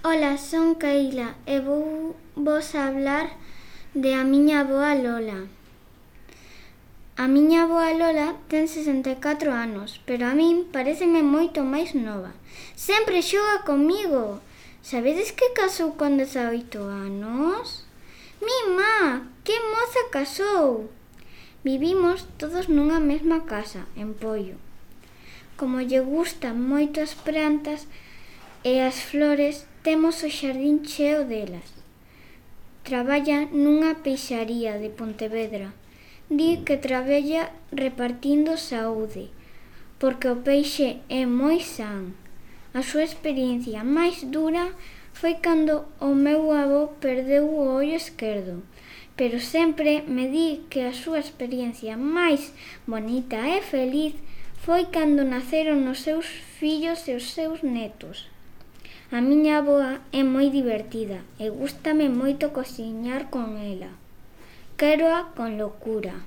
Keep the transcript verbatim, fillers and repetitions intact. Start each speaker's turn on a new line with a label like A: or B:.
A: Ola, son Keila e vou vos hablar de a miña avoa Lola. A miña avoa Lola ten sesenta e catro anos, pero a min paréceme moito máis nova. Sempre xoga comigo. Sabedes que casou con dezaoito anos? Mima, que moza casou! Vivimos todos nunha mesma casa, en Poio. Como lle gustan moito as plantas e as flores, temos o xardín cheo delas. Traballa nunha peixaría de Pontevedra. Di que traballa repartindo saúde, porque o peixe é moi san. A súa experiencia máis dura foi cando o meu avó perdeu o ollo esquerdo, pero sempre me di que a súa experiencia máis bonita e feliz foi cando naceron os seus fillos e os seus netos. A miña avoa é moi divertida e gústame moito cociñar con ela. Quéroa con locura.